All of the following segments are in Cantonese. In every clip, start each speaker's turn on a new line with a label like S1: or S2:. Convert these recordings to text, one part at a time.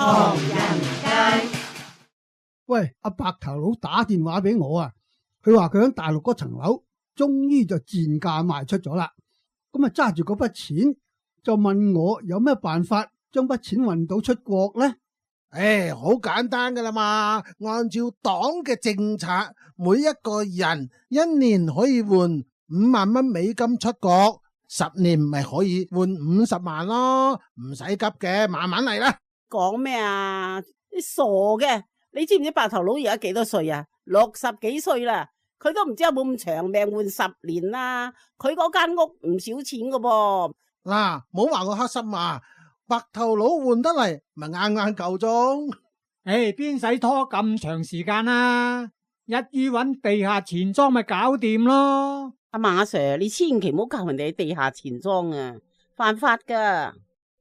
S1: 唐人街。
S2: 喂，阿白頭佬打電話俾我啊，佢話佢喺大陸嗰層樓終於就賤價賣出咗啦。咁啊揸住嗰筆錢就問我有咩辦法將筆錢運到出國呢？
S3: 好簡單噶啦嘛，按照黨嘅政策，每一個人一年可以換5萬蚊美金出國，10年咪可以換50萬咯，唔使急嘅，慢慢嚟啦。
S4: 講咩啊？你傻嘅？你知唔知白頭佬而家幾多歲啊？60幾歲啦，佢都唔知有冇咁長命換10年啦。佢嗰間屋唔少錢噶噃。
S3: 嗱，唔好話我黑心啊！白頭佬換得嚟，咪啱啱夠鐘。
S5: 邊使拖咁長時間啊？一於揾地下錢莊咪搞掂咯。
S4: 阿馬 Sir， 你千祈唔好教人哋地下錢莊啊，犯法噶。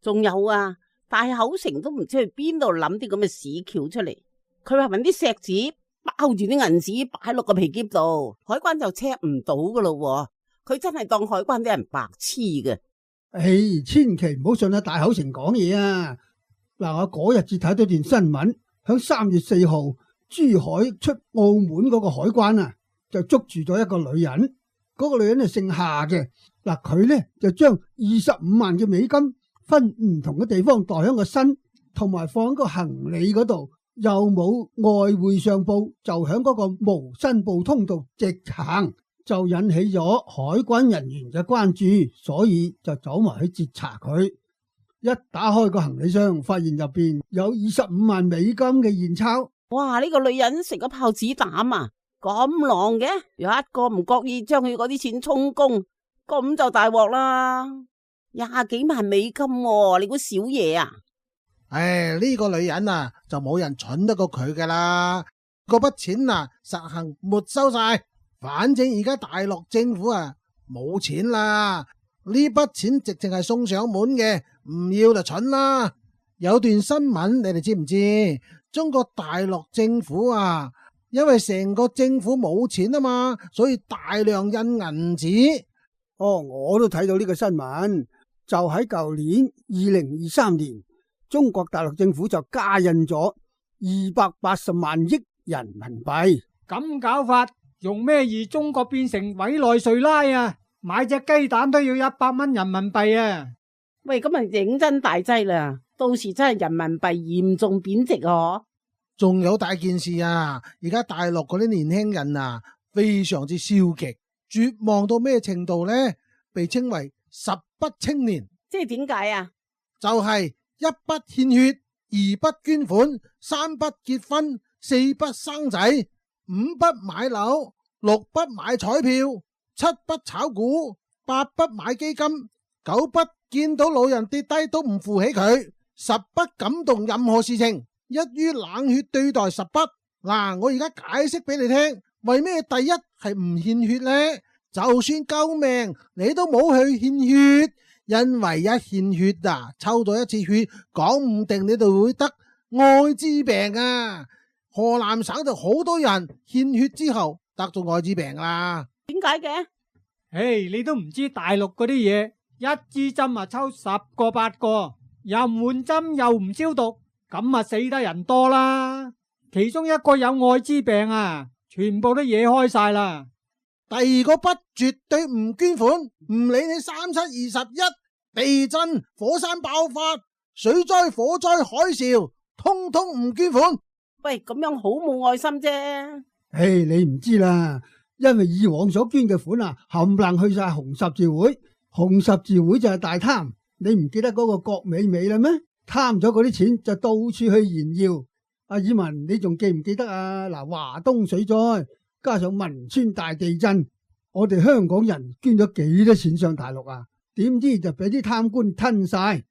S4: 仲有啊，大口城都唔知去邊度諗啲咁嘅屎橋出嚟。佢話搵啲石紙包住啲銀紙擺落個皮篋度，海關就 check 唔到噶咯。佢真係當海關啲人白痴嘅。
S2: 千祈唔好信阿大口城講嘢啊！嗱，我嗰日至睇到段新聞，響3月4號，珠海出澳門嗰個海關啊，就捉住咗一個女人。嗰個女人係姓夏嘅。嗱，佢呢就將25萬嘅美金分唔同嘅地方袋喺個身，同埋放喺個行李嗰度，又冇外匯上報，就響嗰個無申報通道直行。就引起咗海關人員嘅關注，所以就走埋去截查佢。一打開個行李箱，發現入邊有25萬美金嘅現鈔。
S4: 哇！呢個女人食咗炮子膽啊，咁狼嘅，有一個唔覺意將佢嗰啲錢充公，咁就大鑊啦！20幾萬美金喎，你估少嘢啊？
S3: 呢個女人啊，就冇人蠢得過佢噶啦。嗰筆錢啊，實行沒收晒。反正而家大陸政府啊冇錢啦，呢筆錢直情係送上門嘅，唔要就蠢啦。有段新聞你哋知唔知？中國大陸政府啊，因為成個政府冇錢啊嘛，所以大量印銀紙。
S2: 我都睇到呢個新聞，就喺舊年2023年，中國大陸政府就加印咗280萬億人民幣。
S5: 咁搞法，用咩易中國變成委內瑞拉啊？買隻雞蛋都要100蚊人民幣啊！
S4: 喂，咁啊認真大劑啦，到時真係人民幣嚴重貶值啊！
S3: 仲有大件事啊！而家大陸嗰啲年輕人啊，非常之消極，絕望到咩程度呢？被稱為10不青年。
S4: 即係點解啊？
S3: 就係1不獻血，2不捐款，3不結婚，4不生仔，5不買樓，6不買彩票，7不炒股，8不買基金，9不見到老人跌低都唔扶起佢，10不感動任何事情，一於冷血對待10不。嗱，我而家解釋俾你聽，為咩第一係唔獻血呢？就算救命你都冇去獻血，因為一獻血啊，抽到一次血，講唔定你就會得艾滋病啊！河南省就好多人獻血之後得咗艾滋病啦。
S4: 點解嘅？
S5: 你都唔知大陸嗰啲嘢，一支針啊抽10個8個，又唔換針又唔消毒，咁啊死得人多啦。其中一個有艾滋病啊，全部都惹開晒啦。
S3: 第二個不絕對唔捐款，唔理你3721，地震、火山爆發、水災、火災、海嘯，通通唔捐款。
S4: 喂，咁樣好冇愛心啫。
S2: 你唔知啦，因為以往所捐嘅款啊，冚唪唥去晒紅十字會，紅十字會就係大貪。你唔記得嗰個郭美美啦咩？貪咗嗰啲錢就到處去炫耀。阿爾文，你仲記唔記得啊？嗱，華東水災加上汶川大地震，我哋香港人捐咗幾多錢上大陸啊？點知就俾啲貪官吞晒，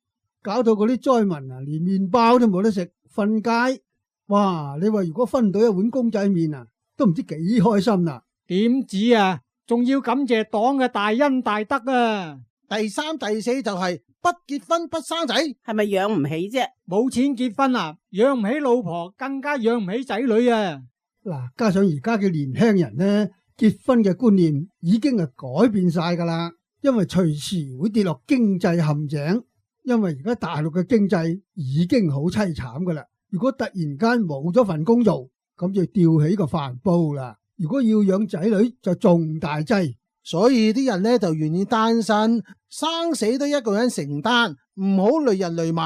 S2: 搞到嗰啲災民啊，連麵包都冇得食，瞓街。哇！你話如果分到一碗公仔麵啊，都唔知幾開心啦。
S5: 點止啊？仲要感謝黨嘅大恩大德啊！
S3: 第3、第4就係不結婚不生仔，
S4: 係咪養唔起啫？
S5: 冇錢結婚啊，養唔起老婆，更加養唔起仔女啊！
S2: 嗱，加上而家嘅年輕人呢，結婚嘅觀念已經係改變晒噶啦，因為隨時會跌落經濟陷阱。因為而家大陸嘅經濟已經好淒慘噶啦，如果突然間冇咗份工做，咁就吊起個飯煲啦。如果要養仔女就仲大劑，
S3: 所以啲人呢就願意單身，生死都一個人承擔，唔好累人累物。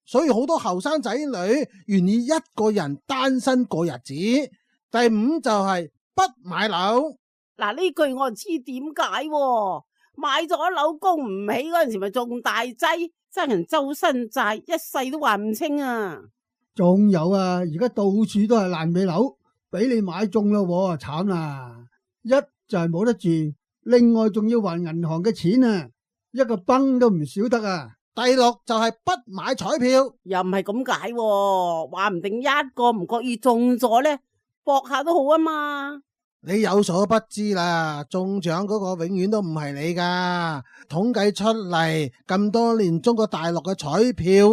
S3: 所以好多後生仔女願意一個人單身過日子。第五就係不買樓。
S4: 嗱，呢句我就知點解喎，買咗樓供唔起嗰陣時咪仲大劑，爭人周身債，一世都還唔清啊！
S2: 仲有啊，而家到處都係爛尾樓，俾你買中咯，慘啦！一就係冇得住，另外仲要還銀行嘅錢啊，一個崩都唔少得啊！
S3: 第六就係不買彩票。
S4: 又唔係咁解喎，話唔定一個唔覺意中咗呢，搏下都好啊嘛！
S3: 你有所不知啦，中獎嗰個永遠都唔係你噶。統計出嚟咁多年，中國大陸嘅彩票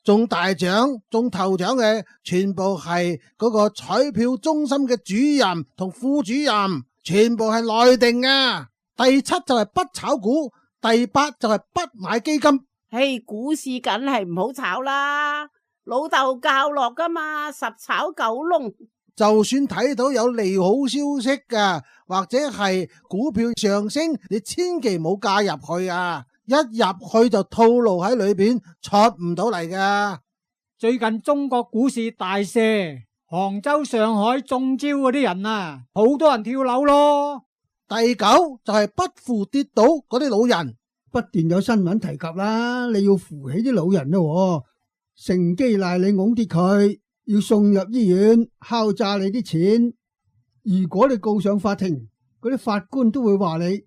S3: 中大獎、中頭獎嘅，全部係嗰個彩票中心嘅主任同副主任，全部係內定啊。第七就係不炒股，第八就係不買基金。
S4: 嘿，股市梗係唔好炒啦，老豆教落噶嘛，十炒九窿。
S3: 就算睇到有利好消息噶，或者係股票上升，你千祈唔好加入去啊！一入去就套路喺裏邊，出唔到嚟噶。
S5: 最近中國股市大瀉，杭州、上海中招嗰啲人啊，好多人跳樓咯。
S3: 第九就係不扶跌倒嗰啲老人。
S2: 不斷有新聞提及啦，你要扶起啲老人咯，乘機賴你㧬跌佢，要送入醫院，敲詐你啲錢。如果你告上法庭，嗰啲法官都會話你，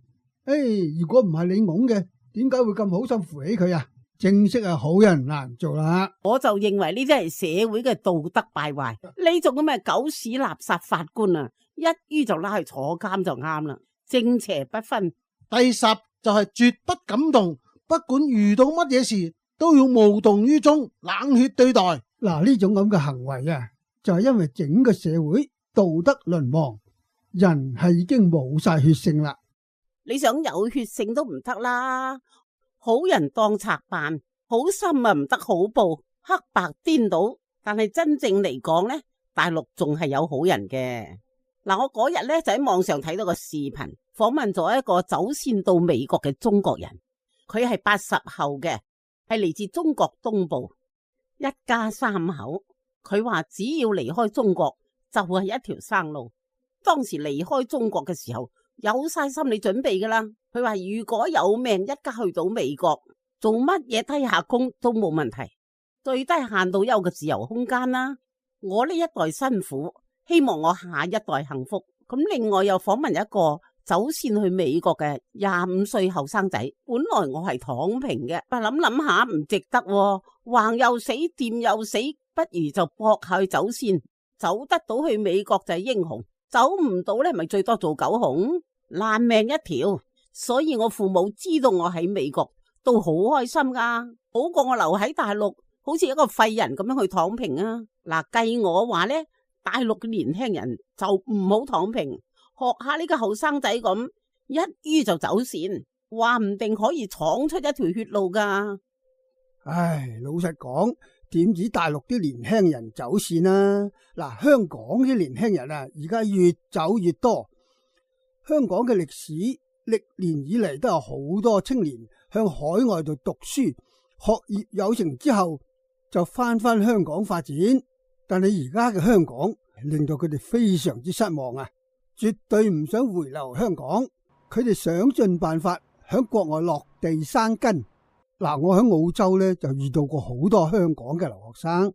S2: 如果唔係你㧬嘅，點解會咁好心扶起佢啊？正式係好人難做啦。
S4: 我就認為呢啲係社會嘅道德敗壞，呢種咁嘅狗屎垃圾法官啊，一於就拉去坐監就啱啦，正邪不分。
S3: 第十就係絕不感動，不管遇到乜嘢事都要無動於衷，冷血對待。
S2: 嗱，呢種咁嘅行為啊，就係因為整個社會道德淪亡，人係已經冇晒血性啦。
S4: 你想有血性都唔得啦，好人當賊辦，好心啊唔得好報，黑白顛倒。但係真正嚟講呢，大陸仲係有好人嘅。嗱，我嗰日呢就喺網上睇到個視頻，訪問咗一個走線到美國嘅中國人，佢係80後嘅，係嚟自中國東部，一家3口。佢話只要離開中國就係一條生路。當時離開中國嘅時候有晒心理準備噶啦。佢話如果有命一家去到美國，做乜嘢低下工都冇問題，最低限度有個自由空間啦。我呢一代辛苦，希望我下一代幸福。咁另外又訪問一個走線去美國嘅25歲後生仔，本來我係躺平嘅，但諗諗下唔值得喎，橫又死，掂又死，不如就搏下去走線，走得到去美國就係英雄，走唔到呢咪最多做狗熊，爛命一條。所以我父母知道我喺美國都好開心噶，好過我留喺大陸好似一個廢人咁樣去躺平啊。嗱，計我話呢，大陸嘅年輕人就唔好躺平，學下呢個後生仔咁，一於就走線，話唔定可以闖出一條血路噶。
S2: 唉，老實講，點止大陸啲年輕人走線啊？嗱，香港啲年輕人啊，而家越走越多。香港嘅歷史歷年以嚟都有好多青年向海外度讀書，學業有成之後就翻香港發展。但係而家嘅香港令到佢哋非常之失望啊！絕對唔想回流香港，佢哋想盡辦法響國外落地生根。嗱，我喺澳洲呢，就遇到過好多香港嘅留學生，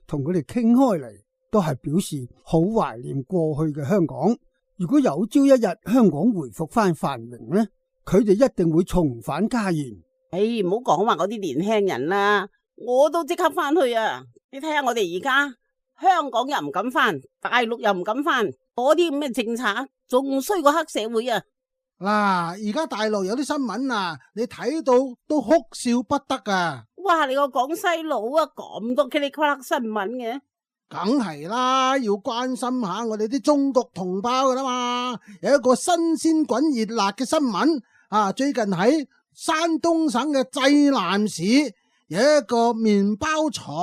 S2: 同佢哋傾開嚟，都係表示好懷念過去嘅香港。如果有朝一日香港回復翻繁榮呢，佢哋一定會重返家園。
S4: 唔好講話嗰啲年輕人啦，我都即刻翻去啊！你睇下我哋而家香港又唔敢翻，大陸又唔敢翻，嗰啲咁嘅政策仲衰過黑社會啊！
S3: 嗱，而家大陸有啲新聞啊，你睇到都哭笑不得啊！
S4: 哇，你個廣西佬啊，咁多嘰哩呱啦新聞嘅。
S3: 梗係啦，要關心下我哋啲中國同胞噶啦嘛。有一個新鮮滾熱辣嘅新聞啊，最近喺山東省嘅濟南市有一個麵包廠，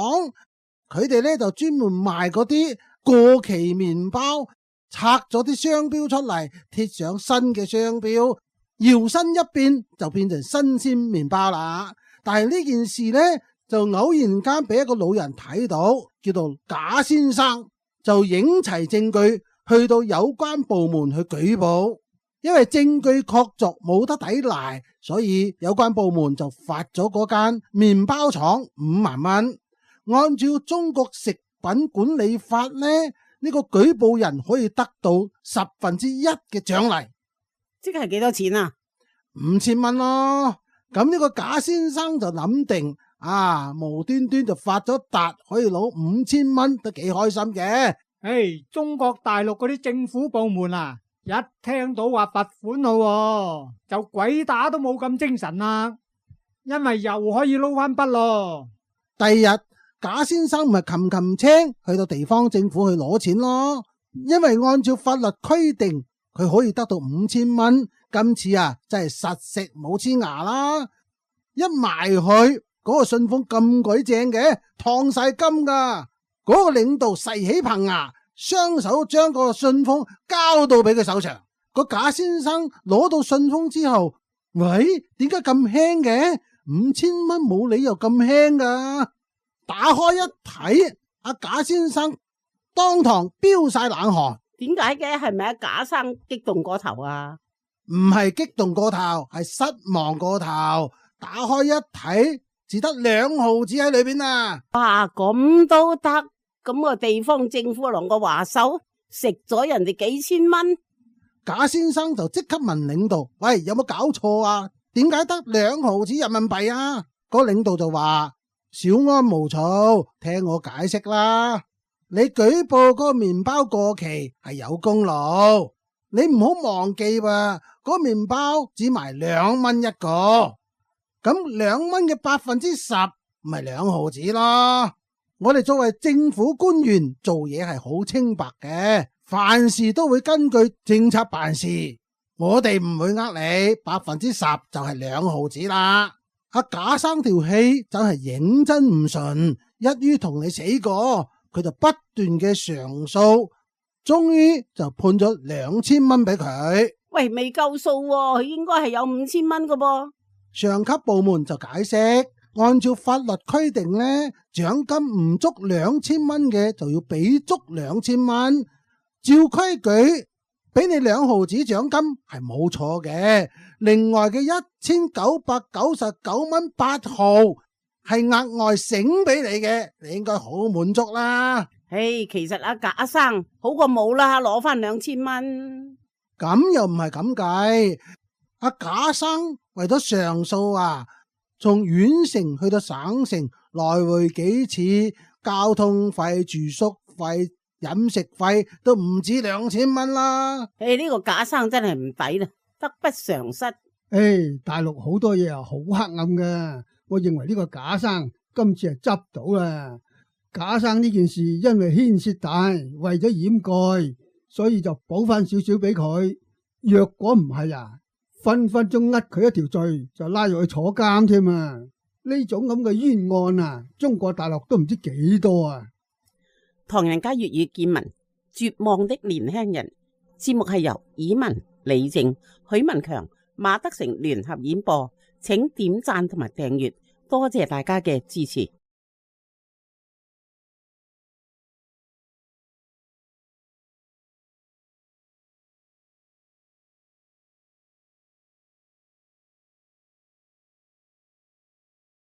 S3: 佢哋呢就專門賣嗰啲過期麵包，拆咗啲商標出嚟，貼上新嘅商標，搖身一變就變成新鮮麵包啦。但係呢件事呢，就偶然間俾一個老人睇到，叫做賈先生，就影齊證據去到有關部門去舉報。因為證據確鑿冇得抵賴，所以有關部門就罰咗嗰間麵包廠5萬蚊。按照中國食品管理法呢，呢個舉報人可以得到1/10嘅獎勵，
S4: 即係幾多錢啊
S3: ？5000蚊咯。咁呢個賈先生就諗定無端端就發咗達，可以攞5000蚊，都幾開心嘅。
S5: 中國大陸嗰啲政府部門啊，一聽到話罰款咯，就鬼打都冇咁精神啦，因為又可以撈翻筆咯。
S3: 第二日賈先生咪擒青去到地方政府去攞錢咯，因為按照法律規定佢可以得到5000蚊。今次真係實食冇黐牙啦，一埋去嗰個信封咁鬼正嘅，燙晒金噶。嗰個領導細起棚牙，雙手將嗰個信封交到俾佢手上。個賈先生攞到信封之後，喂，點解咁輕嘅？5000蚊冇理由咁輕噶。打開一睇，阿賈先生當堂飆晒冷汗。
S4: 點解嘅？係咪阿賈生激動過頭啊？
S3: 唔係激動過頭，係失望過頭。打開一睇，只得2毫紙喺裏邊啊！
S4: 哇，咁都得？咁個地方政府攞個話收，食咗人哋幾千蚊。
S3: 賈先生就即刻問領導：喂，有冇搞錯啊？點解得2毫紙人民幣啊？嗰個領導就話：小安無躁，聽我解釋啦。你舉報嗰個麵包過期係有功勞，你唔好忘記喎，嗰個麵包只賣2蚊一個，咁2蚊嘅10%咪2毫紙咯。我哋作為政府官員做嘢係好清白嘅，凡事都會根據政策辦事，我哋唔會呃你，10%就係2毫紙啦。阿賈生條氣真係認真唔順，一於同你死過，佢就不斷嘅上訴，終於就判咗2000蚊俾佢。
S4: 喂，未夠數喎，佢應該係有5000蚊㗎噃。
S3: 上級部門就解釋，按照法律規定呢，獎金唔足2000蚊嘅就要俾足2000蚊。照規矩俾你2毫紙獎金係冇錯嘅，另外嘅1999蚊8毫係額外醒俾你嘅，你應該好滿足啦。
S4: 其實阿賈生好過冇啦，攞翻2000蚊。
S3: 咁又唔係咁計，阿賈生為咗上訴從縣城去到省城來回幾次，交通費、住宿費、飲食費都唔止2000蚊啦。
S4: 呢個賈生真係唔抵啦，得不償失。
S2: 大陸好多嘢好黑暗㗎，我認為呢個賈生今次係執到啦。賈生呢件事因為牽涉大，為咗掩蓋，所以就補翻少少俾佢。若果唔係分分鐘呃佢一條罪，就拉入去坐監添啊！呢種咁嘅冤案中國大陸都唔知幾多啊！
S4: 唐人街粵語見聞，絕望的年輕人節目係由以文、李靜、許文強、馬德成聯合演播，請點讚同埋訂閱，多謝大家嘅支持。